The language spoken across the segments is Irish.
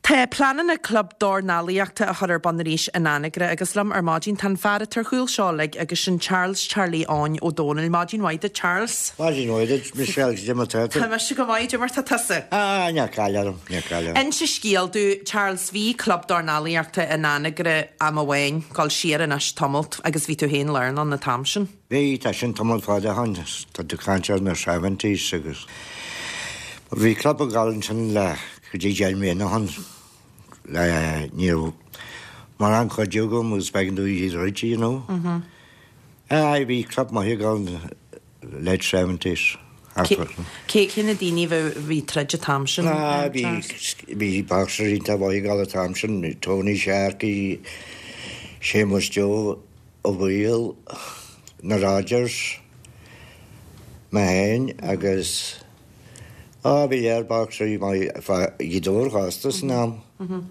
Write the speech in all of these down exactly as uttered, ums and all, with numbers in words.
Tá pleananna club dornálaíochta a chur ar bun arís in Anagaire agus liom ar maidin tá an fear atá ar chúl seo uilig agus sin Charles Charlie Eoin Ó Dónaill. Maidin mhaith duit, Charles. Maidin mhaith duit, Michelle, cad é mar tá tú? Tá mise go maith, cad é mar tá tusa. Ah, níl caill orm, níl caill orm. Inse scéal domh, Charles, bhí club dornálaíochta in Anagaire am amháin, dul siar anois tamalt agus bhí tú féin lárnach ann an t-am sin. Bhí, tá sin tamall fada ó shin, tá tú ag caint ar na seventies agus bhí club ag gabháil ansin le go dtí deich mbliana ó shin le ní raibh mórán cuidiú agam agus b'éigean domh iad a dhruid, you know. Aye, bhí club maith ag gabháil late seventies. Cé cé na daoine a bhí troid an t-am sin? Ah, bhí bhí boxers iontach maith ag gabháil an t-am sin, Tony Sharkey, Séamus Joe Ó Baoill, na Rodgers, mé féin agus á bhí lear boxers maith Ghaoth Dobhair fosta san am.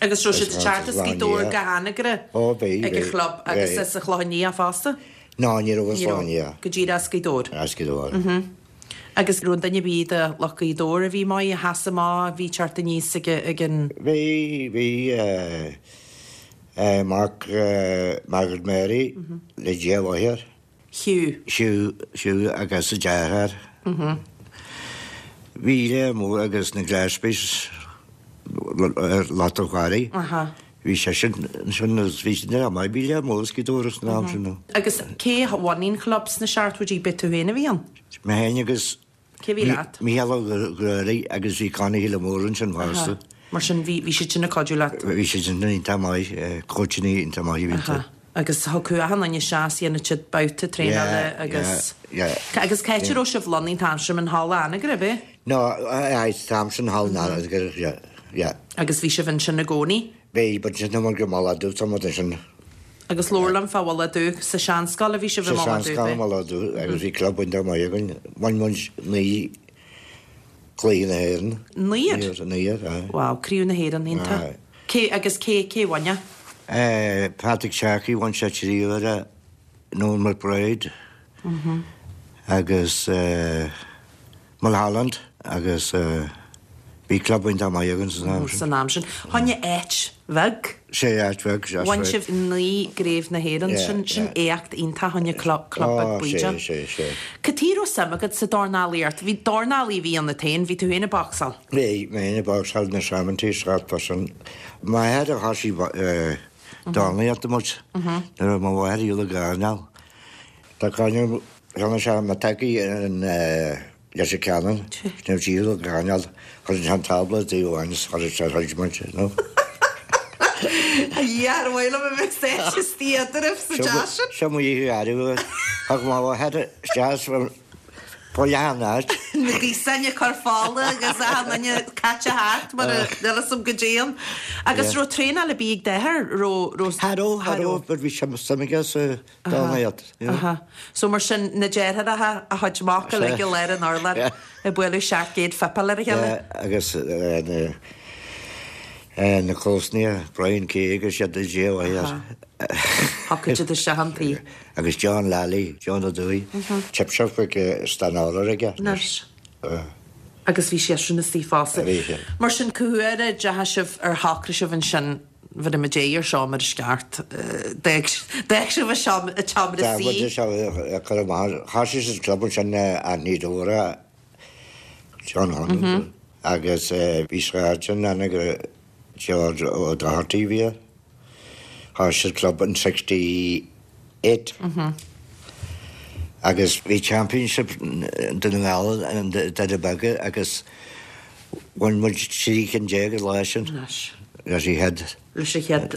Agus raibh siad ag teacht as Gaoth Dobhair go hAnagaire Ó bhí, ag an chlub agus as an Chlochán Liath fosta? Ná, ní raibh as Clochán Liath. Go díreach as Gaoth Dobhair. As Gaoth Dobhair. Agus raibh an duine ar bith de lucht Ghaoth Dobhair a bhí maith, a sheas amach, a bhí teacht aníos ag ag an. Bhí, bhí mac Margaret Mary le Dia mháthair. Hugh. Hugh, Hugh agus a deartháir. Bhí lear mór agus na Gillespies ar Lot an Chwarry. Bhí sé sin ansin agus bhí sin ar maith, bhí lear mór as Gaoth Dobhair san am sin. Agus cé a bhunaigh an chlub sna seachtóidí, b'é tú féin a bhí ann? Mé féin agus Cé bhí leat? Mícheál Ó Grádaigh agus bhí Connie Shíle Mór ansin fosta. Mar sin bhí bhí siad sin ag cuidiú leat? Bhí siad sin iontach maith, coachanna iontach maith a bhí iontu. Agus thiocfadh achan duine isteach is dhéanadh siad babhta traenála agus. Yeah, yeah. Agus cá háit a raibh sibh lonnaithe an t-am sin, in Halla Anagaire, ab é? No, aye, an t-am sin Halla Anagaire, yeah, yeah. Agus bhí sibh ansin i gcónaí? Bhí, but sin mar go Mullach Dubh, tá muid ansin. Agus labhair liom fá Mhullach Dubh, sa seanscoil a bhí sibh i Sa Mullach Dubh, seanscoil i eh? Mullach Dubh agus bhí club iontach maith againn. Bhain muid naoi gcluiche na hÉireann. Naoi? Naoi, aye. Wow, Craobh na hÉireann, iontach. Aye. Cé, agus cé, cé bhain é? Eh, Patrick Sharkey bhain sé trí huaire, Noel McBride agus eh, Mulholland agus eh, bhí club iontach maith againn san am sin. San am sin. Choinne áit bheag? Sé áit bheag, that's Bhain right. sibh naoi gcraobh na hÉireann, Yeah, sin, sin yeah. éacht iontach choinne club, club beag Oh, sé, bídeach. sé, sé. Cad chuige raibh suim agat sa dornálaíocht? Bhí dornálaí a bhí ionat féin, bhí tú féin ag boxáil. Bhí, mé féin ag boxáil na seventies thart fá sin. M'athair a thosaigh eh, dornálaíocht muid. Nuair a raibh mo mháthair ar shiúl ag airneál. Tá coinne cheann sé ma tacaí an eh, Leitir Ceanainn, nuair siúl ag airneál, chuir an tábla taobh amháin is chuir sé throid muid, no? A Dhia, ar mhaith liom a bheith sáite istigh eadraibh sa teach sin. Seo mo dhíth ariamh. Thug mo mháthair isteach fá leath an áit. Na gíosáin ag cur fola agus achan duine caite thart mar a níl fhios agam goidé ann. Agus Yeah. raibh traenáil ar bith ag d'athair, raibh, raibh. Cha raibh, cha raibh, but bhí sé suim aige sa dornálaíocht, you know. Aha. So mar sin na deartháireacha a chuid mac uilig i lár an urláir Yeah. ag bualadh seacht gcéad fuipeáil ar a chéile. Yeah, agus eh, na eh, na comharsana, Brian Kay agus siad a Dé mháthair. Thiocfadh siad isteach an tí. Agus John Lally, John Ó Dúi, chip shop ag Stranorlar aige. Anois. Uh, Agus bhí sé sin istigh fosta. Bhí sé. Mar sin cá huair a deachaigh sibh ar shocraigh sibh ansin bhí muid ar seo mar is ceart. D'fhág sibh a seomra Tá suí. muid seo ag cur amach. Thosaigh sa club ansin Anthony Dora, John Hunt, agus eh, bhí sráid ann go George O'Doherty bhí air. Thosaigh sa club in sixty eight. Agus bhí championship Dún na nGall an Doire Beaga agus bhain muid trí cinn déag an lá sin. Anois. Leis an chéad. Leis an chéad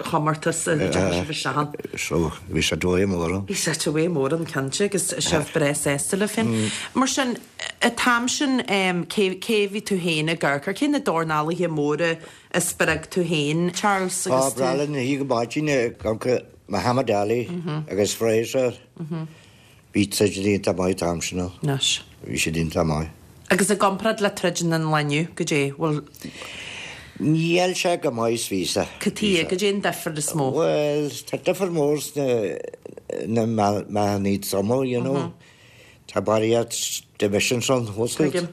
chomórtas a deachaigh sibh isteach ann. So bhí sé dóigh mór ann. Bhí sé dóigh mór ann cinnte agus sibh breá sásta le féin. Mar sin, an t-am sin cé cé bhí tú féin ag amharc ar cé na dornálaithe móra a spreag tú féin, Charles, Á, agus tú? breá linn a go maidin gonca Muhammad Ali agus Frazier. Bhí siad iontach maith an t-am sin. Anois. Bhí siad iontach maith. Agus i gcomparáid le troid an lae inniu, goidé, bhfuil Níl sé go maith is bhí sé. Cad chuige, goidé an difear is mó? Well, tá difear mór sna na meáchain troma, you know. Tá barraíocht divisions ann, what's it? Tuigim.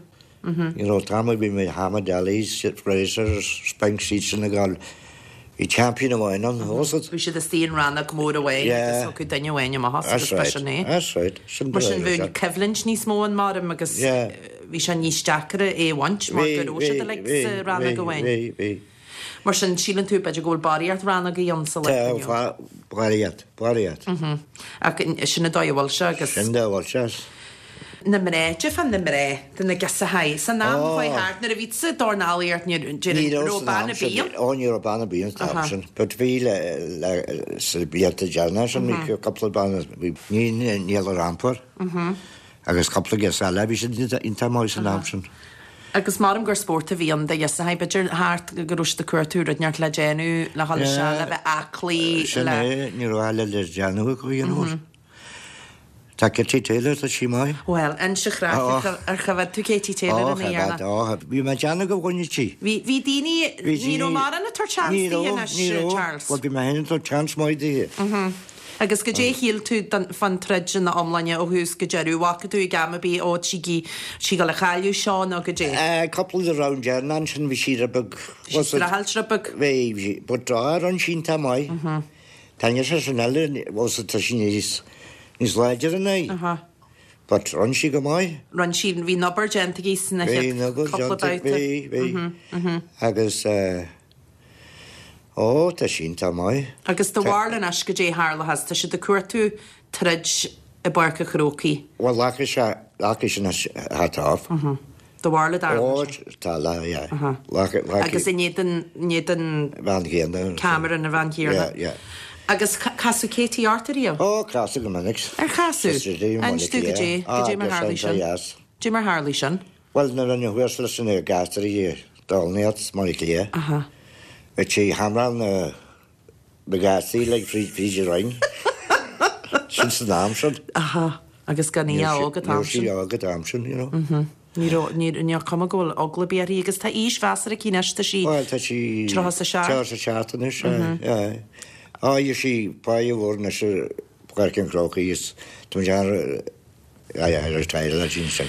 You know, tam bhí Muhammad Ali, Fraser, Spinks siad sin ag gabháil. Bhí champion amháin ann, was it? Bhí siad istigh in rannóg mór amháin agus thiocfadh duine amháin amach as agus That's right. b'shin é. That's right. Sin Mar sin bhí bhí coimhlint níos mó ann maram agus Yeah. bhí sé níos deacra é a bhaint mar go raibh siad uilig sa rannóg amháin. Bhí, bhí. Mar sin síleann tú b'fhéidir go bhfuil barraíocht rannógaí ann sa lá inniu. Tá barraíocht, barraíocht. Ach sin an dóigh a bhfuil sé agus Sin dóigh a bhfuil sé. na mná, de fan na mná de na girseachaí. San am Oh. chuaigh thart nuair a bhí sa dornálaíocht ní raibh bean ar bith. Ó ní raibh bean ar bith an sin. But bhí le le sa blianta deireanacha sin bhí cúpla bean bhí ní Neela Rampar. Agus cúpla girseach eile bhí siad iontach maith san am sin. Agus maram gur spórt a bhí ann do ghirseachaí b'fhéidir thart go raibh siad ag cuartú rud inteacht le déanamh le dhul isteach le bheith aclaí Sin le é ní raibh eile le déanamh acu you know. Tá Katie Taylor tá sí maith. Well, inse craic Oh. ar choimhéad tú Katie Taylor ina dhéanamh. Ó, bhí mé déanamh go bhfuine tí. Bhí bhí daoine ní raibh mar an tabhairt seans Ní di raibh, anois, ní raibh. Charles. Well, bhí mé féin ag tabhairt seans maith di. Agus goidé shíl tú don- fan troid ina iomláine ó thús go deireadh, bhfaca tú ag am ar bith ó sí sí go le chailleadh seo nó goidé. Cúpla de round deireanach ansin bhí sí beag. Streachailt rud beag. Bhí, bhí, but dá an sin tá maith. Tá sé sin eile was tá sin níos níos láidir an é. Aha. But rinne sí go maith. Rinne sí bhí an obair déanta aici sna Bhí chéad na go cúpla babhta. bhí, bhí. Agus eh, ó tá sin tá maith. Agus do bharúil anois goidé tharlós tá siad ag cuartú troid i bPáirc an Chrócaigh. Well rachaidh sé rachaidh sin hat off. Do bharúil dar. Ó tá le yeah. Rachaidh Agus in éadan in éadan bhean chéanna. Cameron a bhean chéanna. Yeah, yeah. Agus ca- casadh Katie ort riamh? Ó casadh go minic. Ar chasadh? Inis dom goidé, goidé mar tharla sin. Yes. Goidé mar tharla sin. Well na rinne thuas leis na gasraí dornálaíocht mar clé. Aha. Bhí sí hamráil na na gasraí le fríd fríd ring. Sin san am sin. Aha. Agus gan í óg an t-am sí sin. óg an t-am sin, you know. Ní raibh- ní ní cuma go bhfuil eagla ar bith uirthi agus tá aois mheasartha aici anois tá sí Well tá sí Tríocha is a seacht. Tríocha is a seacht anois. Á sí pa bhór na se Páirc an Chrócaigh is tú ar sin sin.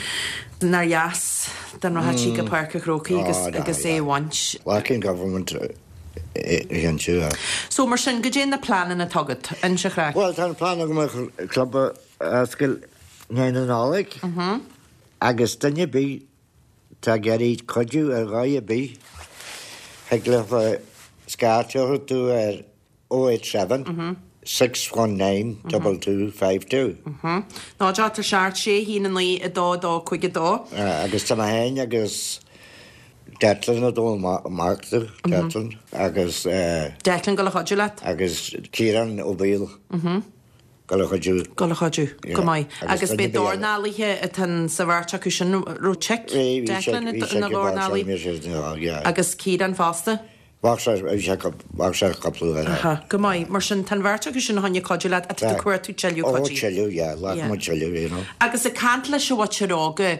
Nár dheas den rachadh sí go Páirc an Chrócaigh agus Á, agus é a bhaint. Lacking government an tú. So mar sin goidé na pleananna atá agat inse craic. Well tá an plean agam club a oscailt na Nollag agus duine ar bith tá ag iarraidh cuidiú ar dhóigh ar bith thig le scairt a chur tú ar oh eight seven six one nine double two five two. Ná tá seacht sé haon a naoi a dó dó cúig a dó. Agus tá mé féin agus Declan a dó amach Declan agus Declan go le chuidiú leat? agus Ciarán Ó Baoill go le chuidiú. Go le chuidiú go maith. Agus Agus duine bé dornálaithe atá sa bheirt acu sin raibh chick Declan ina dhornálaí agus Ciarán fosta. Bhach sé cúpla Aha, go maith mar sin tá an bheirt acu sin chun cuidiú leat atá tú cuartú tuilleadh Ó cuidiú. tuilleadh, yeah, le Yeah. mo tuilleadh, you know. Agus ag caint leis an mhuintir óga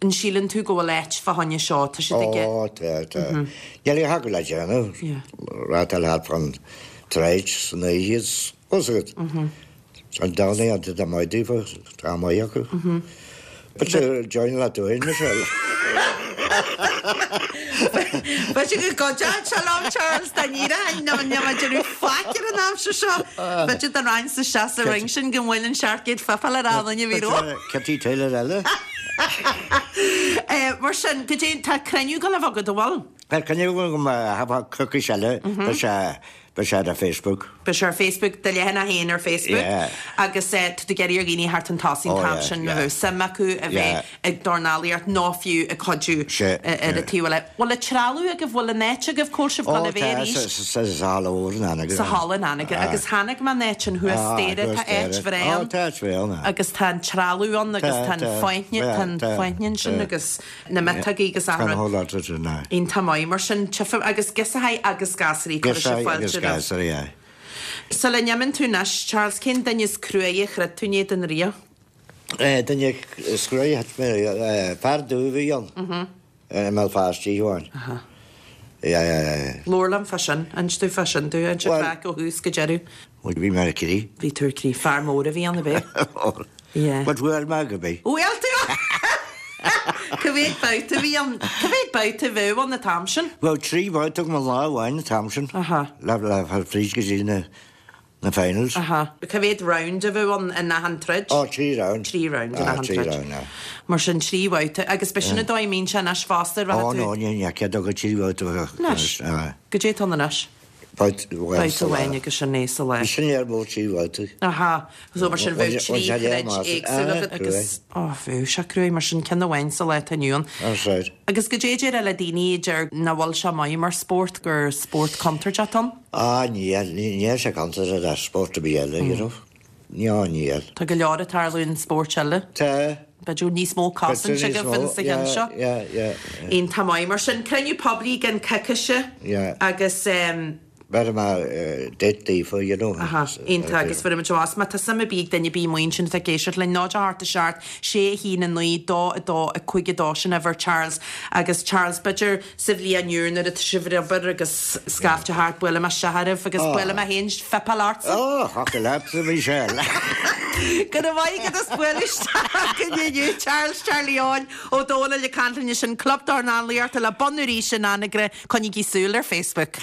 an síleann tú go bhfuil áit fá choinne seo tá siad aige Ó tá tá. Níl a go le déanamh Yeah. rátal fan troid san oíche agat. An dána an tá maith daofa tá maith acu. But join le dúin Michelle. Ba sé go go Shalom Charles da ní na deú fáir an amse seo B'fhéidir an rain sa se sa ring sin go bhfuil an seacht fafal ar anna bhí ró. Katie Taylor eile. Mar sin go dté tá cruinniú go le bheith agat bhfuil. Per can go ha cocaí eile Ba sé ba sé ar Facebook. Ba sé ar Facebook de leathanach a haon ar Facebook Yeah. agus eh, tú ag iarraidh ar dhaoine thart an tosaigh Oh, an yeah, sin yeah. suim acu a bheith Yeah. ag dornálaíocht ná fiú ag cuidiú Se, ar a yeah. taobh eile. Bhfuil an trealamh agaibh bhfuil an áit agaibh cá bhfuil sibh go le bheith arís? sa halla úr na Sa halla Anagaire agus tháinig man áit an thuas staighre tá áit bhreá Tá áit bhreá agus tá an trealamh ann agus Tá, tá an tá, fáinne tá, tá an tá, fáinne sin tá. agus na miotaigí agus Tá an hólá na. Iontach maith mar sin tifa agus girseachaí agus gasraí chuir sé agus fáilte roimh. gasraí, yeah. Sula n-imíonn tú anois, Charles cén duine is cruaidhe a chroith tú in éadan riamh. Eh, Duine is cruaidhe fear dubh a bhí ann. I mBéal Feirste amháin. Labhair liom fá sin, inis tú fá sin dom, inse Well- craic ó thús go deireadh. Bhí mé ar crith. Bhí tú ar crith fear mór a bhí ann a bheith. Yeah. But bhuail mé go bí. Bhuail tú? Cá mhéad babhta a bhí ann? Cá mhéad babhta a bheadh ann an t-am sin? Bhuel trí bhabhta agam an lá amháin an t-am sin. Aha. Le le fáil fríd go dtí na na finals. Aha. Cá mhéad round a bheadh ann in achan troid? Ó trí round. Trí round in Ah, achan trí troid. round, ah. Mar sin trí bhabhta agus b'shin an dóigh a mbíonn sé anois fosta Ó rachaidh no tú. ní ní cead go trí bhabhta Anois. Ah. Goidé atá ann anois. Babhta amháin Babhta sa lá. amháin agus sin é sa lá. Bhí sin léir mó trí bhabhta. Aha, so mar sin bheadh trí throid éagsúla agat agus ó bheadh sé cruaidh mar sin ceann amháin sa lá atá inniu ann. That's right. Agus goidé a déarfá le daoine a deir nach bhfuil sé maith mar spórt gur spórt contúirteach atá ann? Ah níl, níl sé contúirteach le spórt ar bith eile, you know. Ní níl. Tá go leor ag tarlú in spóirt eile. Tá. B'fhéidir níos mó cosaint agaibh in sa cheann seo. Yeah, yeah, yeah. Iontach maith mar sin cruinniú poiblí gan coicíse Yeah. agus um, Bheir mé date daofa, you know. Aha, iontach agus fuair muid amach má tá suim ar bith ag duine ar bith amuigh ansin atá ag éisteacht linn náid a hocht a seacht sé a haon a naoi dó a dó a cúig a dó sin uimhir Charles agus Charles b'fhéidir sa bhliain úr nuair atá sibh ar obair agus scaifte thart buailfidh mé isteach oraibh agus buailfidh mé féin fuipeáil ortsa. Ó, thiocfadh leat a Michelle. Go raibh maith agat as bualadh isteach inniu Charles Charlie Eoin Ó Dónaill ag caint linn sin Club Dornálaíochta le bunú arís in Anagaire coinnígí súil ar Facebook.